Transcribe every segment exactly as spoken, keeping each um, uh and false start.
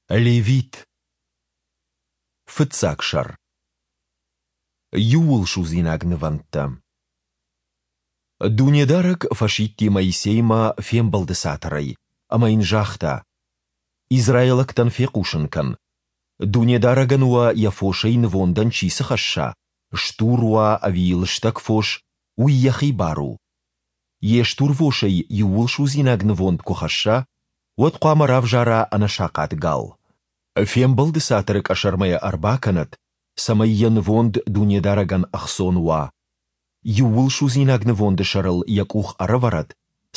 Левит. Фыццаг сӕр. Иууылсудзинаг нывӕндтӕ. Дунедарӕг фӕсидти Моисеймӕ Фембӕлды Цатырӕй ӕмӕ йын загъта: Израилӕгтӕн фехъусын кӕн: Дунедарӕгӕн уӕ йӕ фосӕй нывондӕн чи цы хӕсса, стур уа ӕви лыстӕг фос, уый йӕхи бар у. Йе стурвосӕй иууылсудзинаг нывонд куы хӕсса, уӕд хъуамӕ равзара ӕнӕсахъат гал. Фембӕлды Цатыры къӕсӕрмӕ йӕ ӕрбакӕнӕд, цӕмӕй йӕ нывонд Дунедарӕгӕн ӕхцон уа. Иууылсудзинаг нывонды сӕрыл йӕ къух ӕрӕвӕрӕд,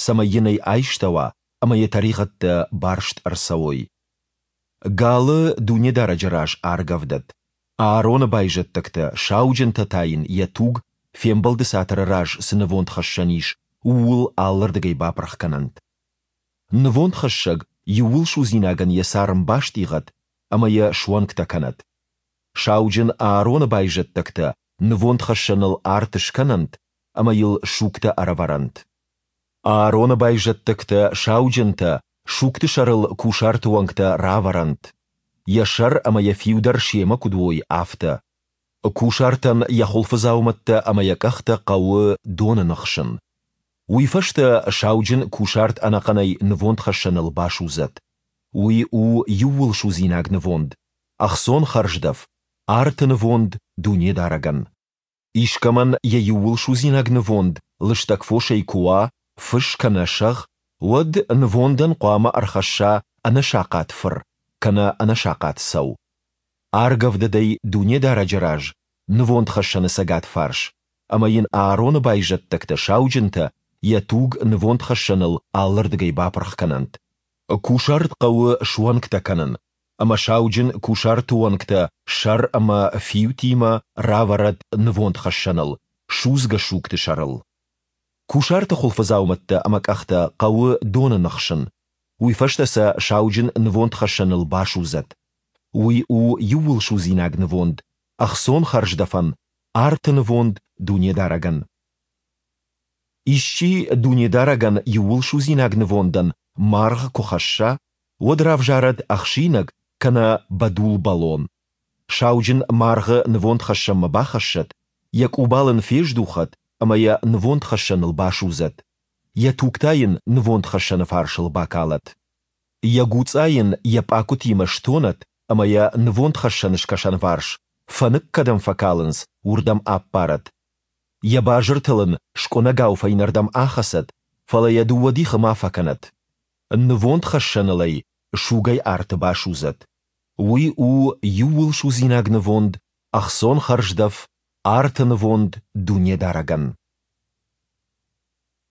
цӕмӕй йын ӕй айстӕуа ӕмӕ йӕ тӕригъӕдтӕ барст ӕрцӕуой. Галы Дунедарӕджы раз аргӕвдӕд. Аароны байзӕддӕгтӕ, сауджынтӕ та йын йӕ туг, Фембӕлды Цатыры раз цы нывондхӕссӕн ис, ууыл алырдыгӕй бапырх кӕнӕнт. Нывондхӕссӕг иууылсудзинагӕн йӕ царм бастъигъӕд ӕмӕ йӕ суӕнгтӕ кӕнӕд. Сауджын Аароны байзӕддӕгтӕ нывондхӕссӕныл арт скӕнӕнт ӕмӕ йыл сугтӕ ӕрӕвӕрӕнт. Аароны байзӕддӕгтӕ, сауджынтӕ, сугты сӕрыл кусарты уӕнгтӕ равӕрӕнт, йӕ сӕр ӕмӕ йӕ фиу дӕр семӕ куыд уой, афтӕ. Кусартӕн йӕ хуылфыдзаумӕттӕ ӕмӕ йӕ къӕхтӕ хъӕуы доны ныхсын. Уый фӕстӕ сауджын кусарт ӕнӕхъӕнӕй нывондхӕссӕныл басудзӕд. Уый у иууылсудзинаг нывонд, ӕхцон хӕрздӕф, арты нывонд Дунедарӕгӕн. Искӕмӕн йӕ иууылсудзинаг нывонд лыстӕг фосӕй куы уа, фыс кӕнӕ сӕгъ, уӕд нывондӕн хъуамӕ ӕрхӕсса ӕнӕсахъат фыр кӕнӕ ӕнӕсахъат цӕу. Аргӕвдӕд ӕй Дунедарӕджы раз нывондхӕссӕны цӕгат фарс, ӕмӕ йын Аароны байзӕддӕгтӕ, сауджынтӕ, йӕ туг нывондхӕссӕныл алырдыгӕй бапырх кӕнӕнт. Кусарт хъӕуы суӕнгтӕ кӕнын, ӕмӕ сауджын кусарты уӕнгтӕ сӕр ӕмӕ фиутимӕ равӕрӕд нывондхӕссӕныл, судзгӕ сугты сӕрыл. Кусарты хуылфыдзаумӕттӕ ӕмӕ къӕхтӕ хъӕуы доны ныхсын, уый фӕстӕ сӕ сауджын нывондхӕссӕныл басудзӕд. Уый у иууылсудзинаг нывонд, ӕхцон хӕрздӕфӕн, арты нывонд Дунедарӕгӕн. Исчи Дунедарӕгӕн иууылсудзинаг нывондӕн маргъ куы хӕсса, уӕд равзарӕд ӕхсинӕг кӕнӕ бӕдул бӕлон. Сауджын маргъы нывондхӕссӕнмӕ бахӕссӕд, йӕ къубал ын фездухӕд ӕмӕ йӕ нывондхӕссӕныл басудзӕд, йӕ туг та йын нывондхӕссӕны фарсыл бакалӕд. Йӕ гуцъа йын йӕ пъакуытимӕ стонӕд ӕмӕ йӕ нывондхӕссӕны скӕсӕнварс, фӕнык кӕдӕм фӕкалынц, уырдӕм аппарӕд. Йӕ базыртыл ын скъуынӕгау фӕйнӕрдӕм ахӕцӕд, фӕлӕ йӕ дыууӕ дихы ма фӕкӕнӕд. Нывондхӕссӕныл ӕй сугӕй арты басудзӕд. Уый у иууылсудзинаг нывонд, ӕхцон хӕрздӕф, арты нывонд Дунедарӕгӕн.